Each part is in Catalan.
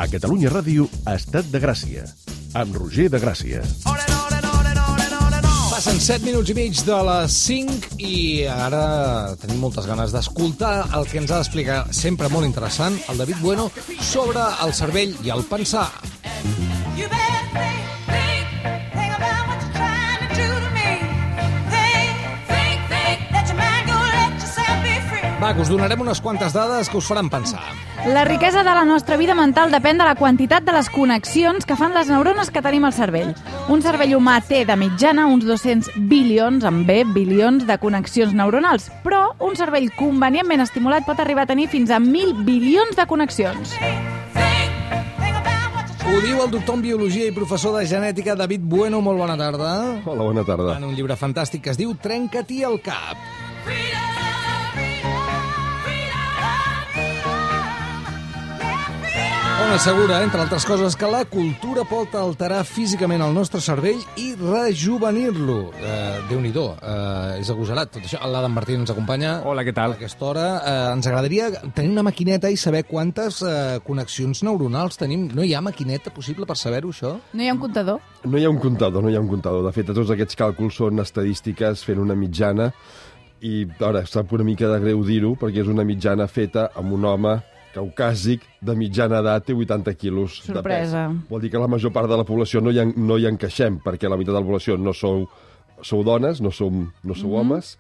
A Catalunya Ràdio, Estat de Gràcia, amb Roger de Gràcia. Passen 7 minuts i mig de les 5 i ara tenim moltes ganes d'escoltar el que ens ha d'explicar, sempre molt interessant, el David Bueno, sobre el cervell i el pensar. Va, que us donarem unes quantes dades que us faran pensar. La riquesa de la nostra vida mental depèn de la quantitat de les connexions que fan les neurones que tenim al cervell. Un cervell humà té, de mitjana, uns 200 bilions, amb B, bilions de connexions neuronals, però un cervell convenientment estimulat pot arribar a tenir fins a 1.000 bilions de connexions. Ho diu el doctor en Biologia i professor de Genètica David Bueno. Molt bona tarda. Hola, bona tarda. En un llibre fantàstic que es diu Trenca-t'hi el cap. On assegura, entre altres coses, que la cultura pot alterar físicament el nostre cervell i rejuvenir-lo. Déu-n'hi-do, és agosarat tot això. L'Adam Martín ens acompanya. Hola, què tal? A aquesta hora. Ens agradaria tenir una maquineta i saber quantes connexions neuronals tenim. No hi ha maquineta possible per saber-ho, això? No hi ha un comptador? No hi ha un comptador. De fet, tots aquests càlculs són estadístiques fent una mitjana i, ara, sap una mica de greu dir-ho, perquè és una mitjana feta amb un home caucàsic de mitjana edat, té 80 quilos Sorpresa. de pes. Vol dir que la major part de la població no hi encaixem, perquè la meitat de la població no sou dones, no sou homes,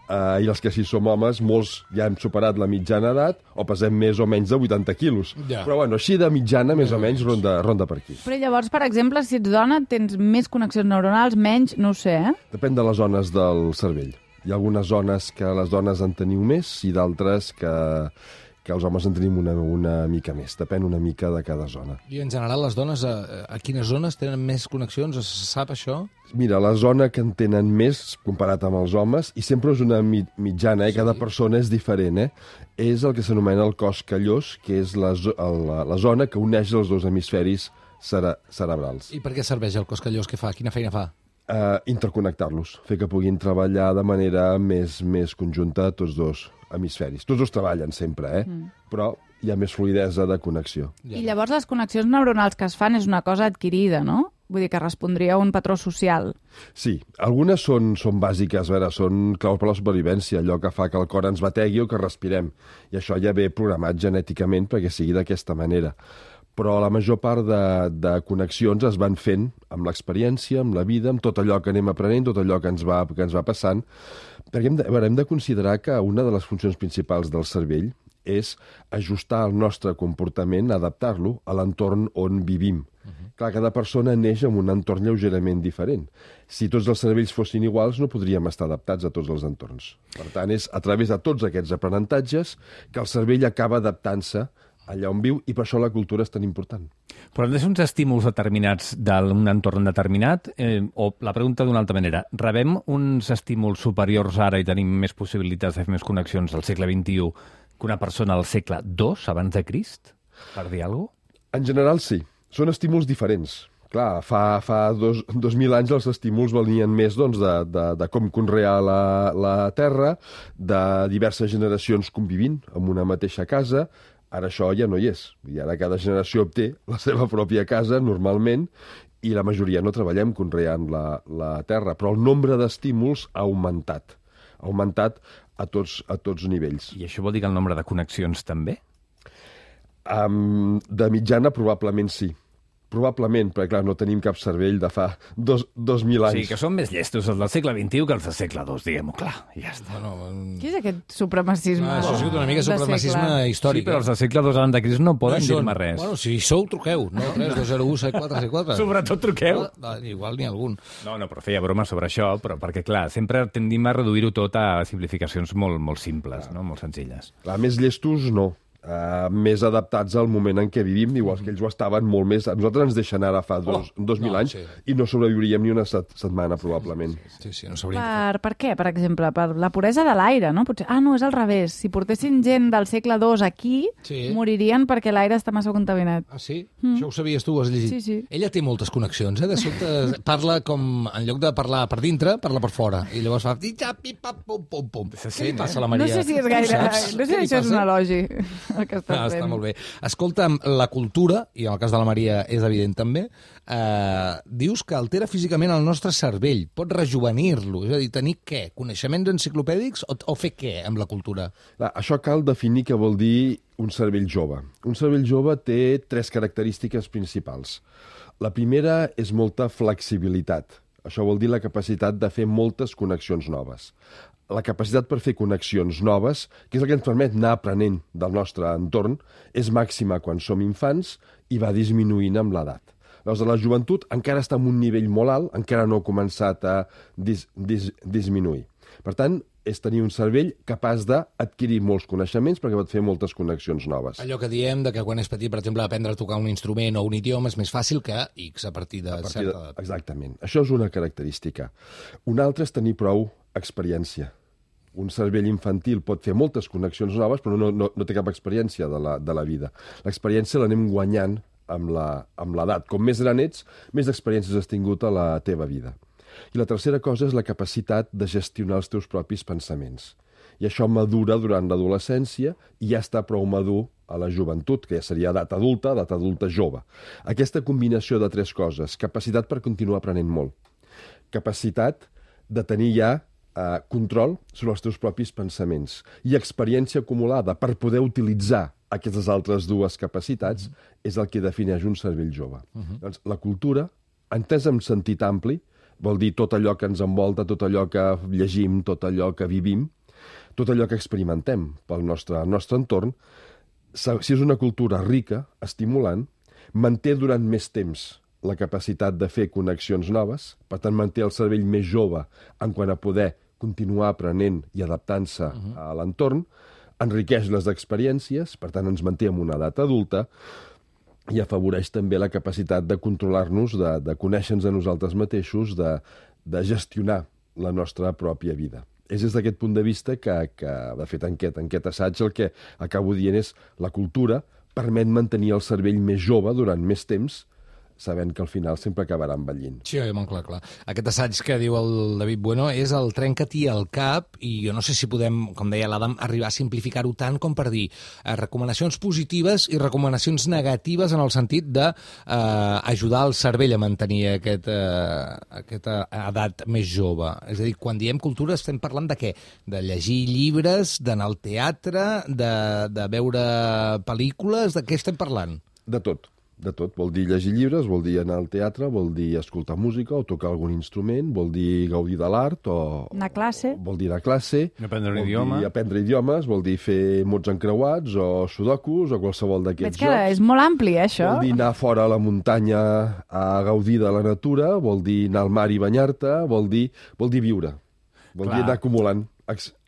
i els que sí som homes, molts ja hem superat la mitjana edat o pesem més o menys de 80 quilos. Ja. Però bueno, així de mitjana, més o menys, ronda per aquí. Però llavors, per exemple, si ets dona, tens més connexions neuronals, menys, no ho sé, Depèn de les zones del cervell. Hi ha algunes zones que les dones en teniu més i d'altres que els homes en tenim una mica més. Depèn una mica de cada zona. I en general les dones a quines zones tenen més connexions? Es sap això? Mira, la zona que en tenen més comparat amb els homes, i sempre és una mitjana, cada persona és diferent, és el que s'anomena el cos callós, que és la zona que uneix els dos hemisferis cerebrals. I per què serveix el cos callós? Què fa? Quina feina fa? Interconnectar-los, fer que puguin treballar de manera més conjunta tots dos hemisferis. Tots dos treballen sempre, però hi ha més fluidesa de connexió. I llavors les connexions neuronals que es fan és una cosa adquirida, no? Vull dir que respondria a un patró social. Sí, algunes són bàsiques, a veure, són claus per la supervivència, allò que fa que el cor ens bategui o que respirem. I això ja ve programat genèticament perquè sigui d'aquesta manera. Però la major part de connexions es van fent amb l'experiència, amb la vida, amb tot allò que anem aprenent, tot allò que ens va passant. Perquè hem de considerar que una de les funcions principals del cervell és ajustar el nostre comportament, adaptar-lo a l'entorn on vivim. Clar, cada persona neix en un entorn lleugerament diferent. Si tots els cervells fossin iguals, no podríem estar adaptats a tots els entorns. Per tant, és a través de tots aquests aprenentatges que el cervell acaba adaptant-se allà on viu, i per això la cultura és tan important. Però han de ser uns estímuls determinats d'un entorn determinat? O la pregunta d'una altra manera, rebem uns estímuls superiors ara i tenim més possibilitats de fer més connexions al segle XXI que una persona al segle II, abans de Crist? Per dir alguna cosa? En general, sí. Són estímuls diferents. Clar, fa 2.000 anys els estímuls venien més de com conrear la terra, de diverses generacions convivint en una mateixa casa. Ara això ja no hi és. I ara cada generació obté la seva pròpia casa, normalment, i la majoria no treballem conreant la terra. Però el nombre d'estímuls ha augmentat. Ha augmentat a tots nivells. I això vol dir que el nombre de connexions també? De mitjana, probablement sí. Probablement, perquè clar, no tenim cap cervell de fa 2.000 anys. Sí, que són més llestos els del segle XXI que els del segle II, diguem-ho clar. Ja està. Què és aquest supremacisme? Això ha sigut una mica supremacisme històric. Sí, però els del segle II abans de Crist no poden dir-me res. Bueno, si sou, truqueu. 932017474. Sobretot truqueu. Igual n'hi ha algun. No, però feia broma sobre això, però perquè, clar, sempre tendim a reduir-ho tot a simplificacions molt simples, no? Molt senzilles. Clar, més llestos no. Més adaptats al moment en què vivim, igual que ells ho estaven molt més. A nosaltres ens deixen ara fa 2.000 anys i no sobreviuríem ni una setmana, probablement. Sí, no sabríem. Per què, per exemple? Per la puresa de l'aire, no? Potser, no, és al revés. Si portessin gent del segle II aquí, moririen perquè l'aire està massa contaminat. Ah, sí? Això ho sabies tu, ho has llegit? Sí. Ella té moltes connexions, De sobte parla com, en lloc de parlar per dintre, parla per fora. I llavors fa... Què li passa a la Maria? No sé si és gaire... No sé si això és un elogi. el que estàs fent. Està molt bé. Escolta'm, la cultura, i en el cas de la Maria és evident també, dius que altera físicament el nostre cervell, pot rejuvenir-lo, és a dir, tenir què? Coneixements enciclopèdics o fer què amb la cultura? Això cal definir què vol dir un cervell jove. Un cervell jove té 3 característiques principals. La primera és molta flexibilitat. Això vol dir la capacitat de fer moltes connexions noves. La capacitat per fer connexions noves, que és el que ens permet anar aprenent del nostre entorn, és màxima quan som infants i va disminuint amb l'edat. Llavors, la joventut encara està en un nivell molt alt, encara no ha començat a disminuir. Per tant, és tenir un cervell capaç d'adquirir molts coneixements perquè pot fer moltes connexions noves. Allò que diem de que quan és petit, per exemple, aprendre a tocar un instrument o un idioma és més fàcil que X a partir de certa edat. Exactament. Això és una característica. Una altra és tenir prou experiència. Un cervell infantil pot fer moltes connexions noves, però no té cap experiència de la vida. L'experiència l'anem guanyant amb l'edat. Com més gran ets, més experiències has tingut a la teva vida. I la tercera cosa és la capacitat de gestionar els teus propis pensaments. I això madura durant l'adolescència i ja està prou madur a la joventut, que ja seria edat adulta jove. Aquesta combinació de 3 coses, capacitat per continuar aprenent molt, capacitat de tenir ja control sobre els teus propis pensaments i experiència acumulada per poder utilitzar aquestes altres 2 capacitats és el que defineix un cervell jove. Doncs la cultura, entesa en sentit ampli, vol dir tot allò que ens envolta, tot allò que llegim, tot allò que vivim, tot allò que experimentem pel nostre entorn, si és una cultura rica, estimulant, manté durant més temps la capacitat de fer connexions noves, per tant manté el cervell més jove en quant a poder continuar aprenent i adaptant-se a l'entorn, enriqueix les experiències, per tant ens manté en una edat adulta, i afavoreix també la capacitat de controlar-nos, de conèixer-nos a nosaltres mateixos, de gestionar la nostra pròpia vida. És des d'aquest punt de vista que de fet, en aquest assaig el que acabo dient és la cultura permet mantenir el cervell més jove durant més temps, sabent que al final sempre acabarà envellint. Sí, molt clar. Aquest assaig que diu el David Bueno és el trenca-t'hi al cap i jo no sé si podem, com deia l'Adam, arribar a simplificar-ho tant com per dir recomanacions positives i recomanacions negatives en el sentit d'ajudar el cervell a mantenir aquesta edat més jove. És a dir, quan diem cultura estem parlant de què? De llegir llibres, d'anar al teatre, de veure pel·lícules, de què estem parlant? De tot. Vol dir llegir llibres, vol dir anar al teatre, vol dir escoltar música o tocar algun instrument, vol dir gaudir de l'art o... Anar a classe. Vol dir anar a classe. Aprendre un idioma. Vol dir aprendre idiomes, vol dir fer mots encreuats o sudokus o qualsevol d'aquests jocs. Veig que és molt ampli, això. Vol dir anar fora a la muntanya a gaudir de la natura, vol dir anar al mar i banyar-te, vol dir viure. Vol dir anar acumulant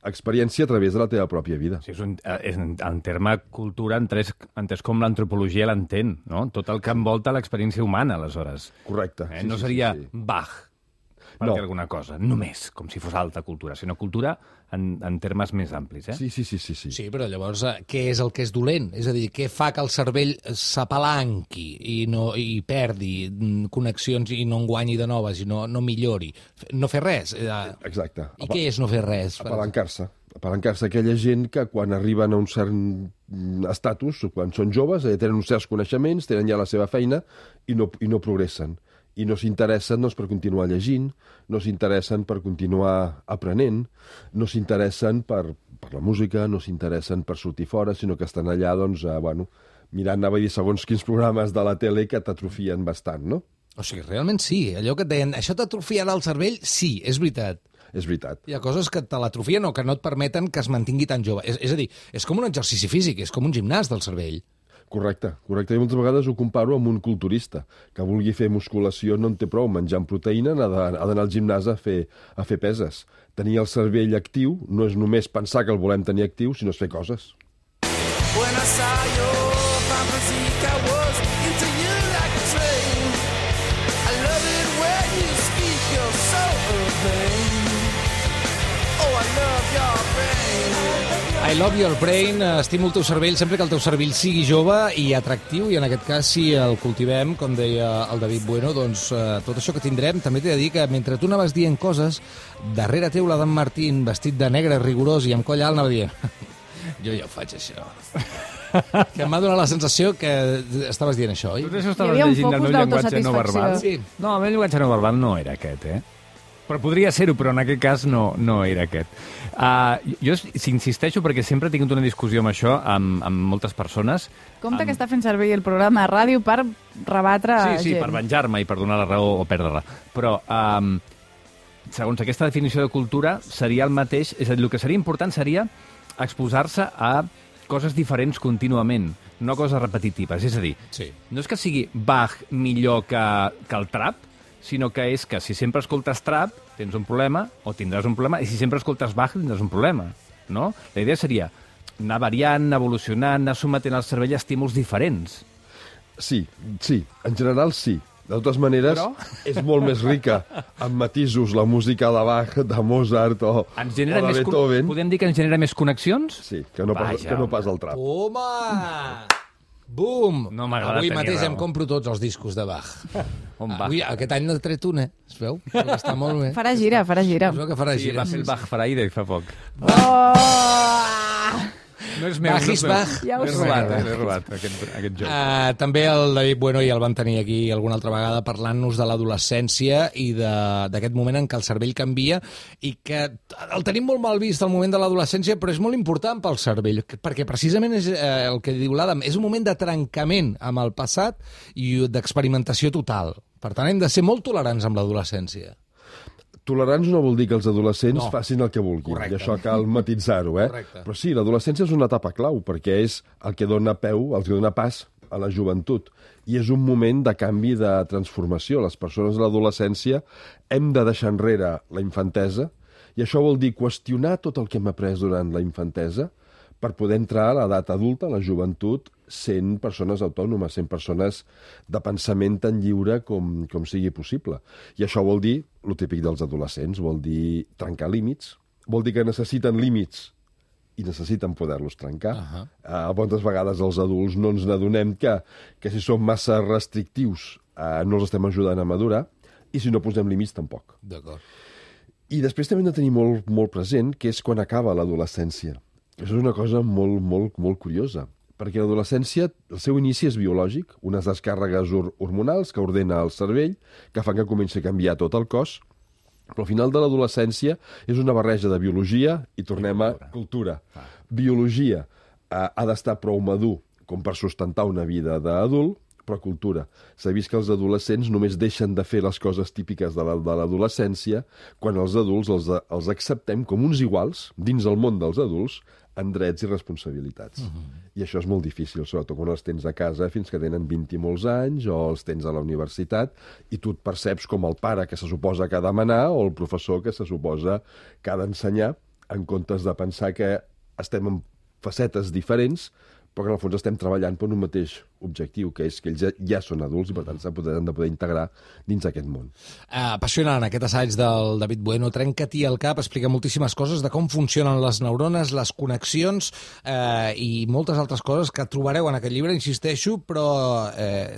experiència a través de la teva pròpia vida. Sí, en terme cultura, entès com l'antropologia l'entén, no? Tot el que envolta l'experiència humana, aleshores. Correcte. No seria Bach, per dir alguna cosa, només, com si fos alta cultura, sinó cultura en termes més amplis, eh? Sí. Sí, però llavors, què és el que és dolent? És a dir, què fa que el cervell s'apalanqui i perdi connexions i no en guanyi de noves i no millori? No fer res? Exacte. I què és no fer res? Apalancar-se. Apalancar-se aquella gent que quan arriben a un cert estatus, quan són joves, tenen uns certs coneixements, tenen ja la seva feina i no progressen. I no s'interessen per continuar llegint, no s'interessen per continuar aprenent, no s'interessen per la música, no s'interessen per sortir fora, sinó que estan allà, mirant, anava a dir, segons quins programes de la tele que t'atrofien bastant, no? O sigui, realment sí, allò que et deien, això t'atrofiarà el cervell, sí, és veritat. És veritat. Hi ha coses que te l'atrofien o que no et permeten que es mantingui tan jove. És a dir, és com un exercici físic, és com un gimnàs del cervell. Correcte. I moltes vegades ho comparo amb un culturista que vulgui fer musculació, no en té prou menjant proteïna, ha d'anar al gimnàs a fer peses. Tenir el cervell actiu no és només pensar que el volem tenir actiu, sinó fer coses. When I saw your physique, I was into you like a train. I love it when you speak, you're so urbane. Oh, I love your brain. I love your brain, estimo el teu cervell sempre que el teu cervell sigui jove i atractiu, i en aquest cas, si el cultivem, com deia el David Bueno, doncs tot això que tindrem, també t'he de dir que mentre tu anaves dient coses, darrere teu l'Adam Martín, vestit de negre rigorós i amb coll alt, anava dient jo ja ho faig, això. Que m'ha donat la sensació que estaves dient això, oi? Tu això Hi estaves havia un llegint el focus meu llenguatge no d'autosatisfacció. verbal? Sí. No, el meu llenguatge no verbal no era aquest, Però podria ser-ho, però en aquest cas no era aquest. Jo insisteixo perquè sempre he tingut una discussió amb això, amb moltes persones. Compte que està fent servir el programa de ràdio per rebatre Sí, gent. per venjar-me i per donar la raó o perdre-la. Però, segons aquesta definició de cultura, seria el mateix... És a dir, el que seria important seria exposar-se a coses diferents contínuament, no coses repetitives. És a dir, Sí. no és que sigui Bach millor que el trap, sinó que és que si sempre escoltes trap tens un problema o tindràs un problema, i si sempre escoltes Bach tindràs un problema, no? La idea seria anar variant, anar evolucionant, anar sometent al cervell a estímuls diferents. Sí, en general sí. De totes maneres, Però? és molt més rica amb matisos la música de Bach, de Mozart o de Beethoven. Podem dir que ens genera més connexions? Sí, que no pas el trap. Toma! Bum! No m'agrada Avui tenir mateix raó. em compro tots els discos de Bach. On va? Avui, aquest any n'he tret un, Es veu? Està molt bé. Farà gira. Es veu que farà Sí, gira. va fer el Bach Friday fa poc. Oh! No és meu, Bach is Bach. Ja ho L'he sé. robat, aquest joc. També el David Bueno ja el van tenir aquí alguna altra vegada parlant-nos de l'adolescència i d'aquest moment en què el cervell canvia i que el tenim molt mal vist al moment de l'adolescència, però és molt important pel cervell, perquè precisament és el que diu l'Adam, és un moment de trencament amb el passat i d'experimentació total. Per tant, hem de ser molt tolerants amb l'adolescència. Tolerants no vol dir que els adolescents No. facin el que vulguin. Correcte. I això cal matitzar-ho, Correcte. Però sí, l'adolescència és una etapa clau, perquè és el que dona el que dona pas a la joventut. I és un moment de canvi, de transformació. Les persones de l'adolescència hem de deixar enrere la infantesa, i això vol dir qüestionar tot el que hem après durant la infantesa per poder entrar a l'edat adulta, a la joventut, sent persones autònomes, sent persones de pensament tan lliure com sigui possible. I això vol dir, el típic dels adolescents, vol dir trencar límits, vol dir que necessiten límits i necessiten poder-los trencar. Moltes vegades els adults no ens n'adonem que si som massa restrictius no els estem ajudant a madurar, i si no posem límits tampoc. D'acord. I després també hem de tenir molt, molt present que és quan acaba l'adolescència. Això és una cosa molt, molt, molt curiosa, perquè l'adolescència, el seu inici és biològic, unes descàrregues hormonals que ordena el cervell, que fan que comenci a canviar tot el cos, però al final de l'adolescència és una barreja de biologia i tornem a cultura. Biologia ha d'estar prou madur com per sustentar una vida d'adult, però cultura. S'ha vist que els adolescents només deixen de fer les coses típiques de l'adolescència quan els adults els acceptem com uns iguals dins el món dels adults en drets i responsabilitats. I això és molt difícil, sobretot quan els tens a casa fins que tenen 20 i molts anys o els tens a la universitat i tu et perceps com el pare que se suposa que ha de manar o el professor que se suposa que ha d'ensenyar, en comptes de pensar que estem en facetes diferents però que en el fons estem treballant per un mateix objectiu, que és que ells ja són adults i per tant han de poder integrar dins aquest món. Apassionant aquest assaig del David Bueno. Trenca-t'hi el cap, explica moltíssimes coses de com funcionen les neurones, les connexions i moltes altres coses que trobareu en aquest llibre, insisteixo, però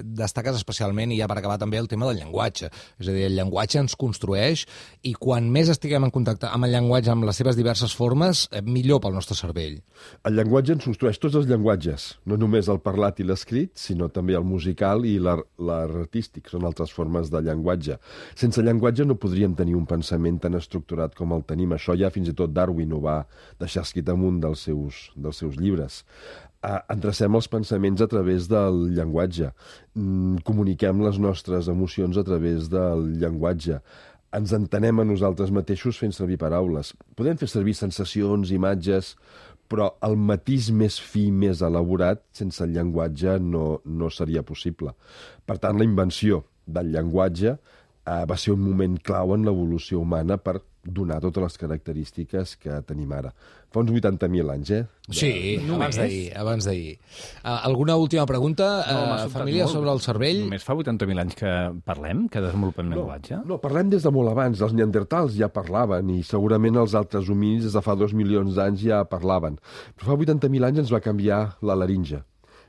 destaques especialment, i ja per acabar també, el tema del llenguatge. És a dir, el llenguatge ens construeix i quan més estiguem en contacte amb el llenguatge, amb les seves diverses formes, millor pel nostre cervell. El llenguatge ens construeix tots els llenguatges, no només el parlat i l'escrit, sinó també el musical i l'artístic, són altres formes de llenguatge. Sense llenguatge no podríem tenir un pensament tan estructurat com el tenim. Això ja fins i tot Darwin ho va deixar escrit en un dels seus llibres. Endrecem els pensaments a través del llenguatge, comuniquem les nostres emocions a través del llenguatge, ens entenem a nosaltres mateixos fent servir paraules. Podem fer servir sensacions, imatges, però el matís més fi, més elaborat, sense el llenguatge no seria possible. Per tant, la invenció del llenguatge va ser un moment clau en l'evolució humana per donar totes les característiques que tenim ara. Fa uns 80.000 anys, Sí, abans d'ahir. Alguna última pregunta, família, sobre el cervell? Només fa 80.000 anys que parlem, que desenvolupem llenguatge? No, parlem des de molt abans. Els neandertals ja parlaven i segurament els altres homínids des de fa 2 milions d'anys ja parlaven. Però fa 80.000 anys ens va canviar la laringe.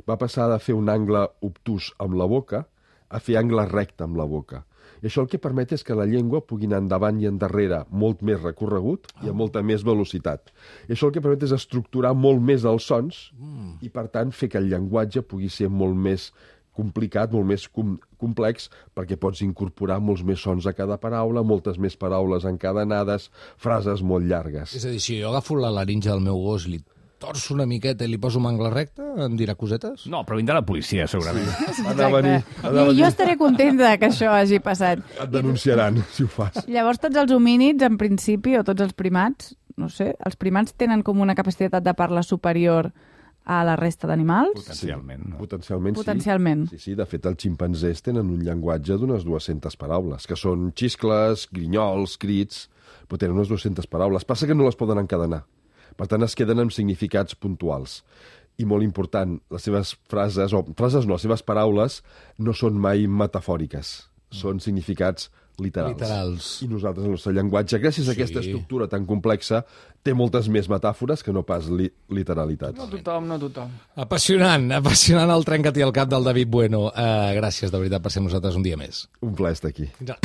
Va passar de fer un angle obtús amb la boca a fer angle recte amb la boca. I això el que permet és que la llengua pugui anar endavant i endarrere molt més recorregut i amb molta més velocitat. I això el que permet és estructurar molt més els sons I, per tant, fer que el llenguatge pugui ser molt més complicat, molt més complex, perquè pots incorporar molts més sons a cada paraula, moltes més paraules encadenades, frases molt llargues. És a dir, si jo agafo la laringe del meu gos i li torço una miqueta i li poso un angle recte, em dirà cosetes? No, però vindrà la policia, segurament. I jo estaré contenta que això hagi passat. Et denunciaran, si ho fas. Llavors, tots els homínids, en principi, o tots els primats, no sé, els primats tenen com una capacitat de parla superior a la resta d'animals? Potencialment. No? Potencialment. Sí, de fet, els ximpanzés tenen un llenguatge d'unes 200 paraules, que són xiscles, grinyols, crits, però tenen unes 200 paraules. Passa que no les poden encadenar. Per tant, es queden amb significats puntuals. I molt important, les seves frases, les seves paraules no són mai metafòriques. Són significats literals. I nosaltres, el nostre llenguatge, gràcies a aquesta estructura tan complexa, té moltes més metàfores que no pas literalitats. No tothom. Apassionant el Trenca-t'hi al cap del David Bueno. Gràcies, de veritat, per ser amb nosaltres un dia més. Un plaer estar aquí. Ja.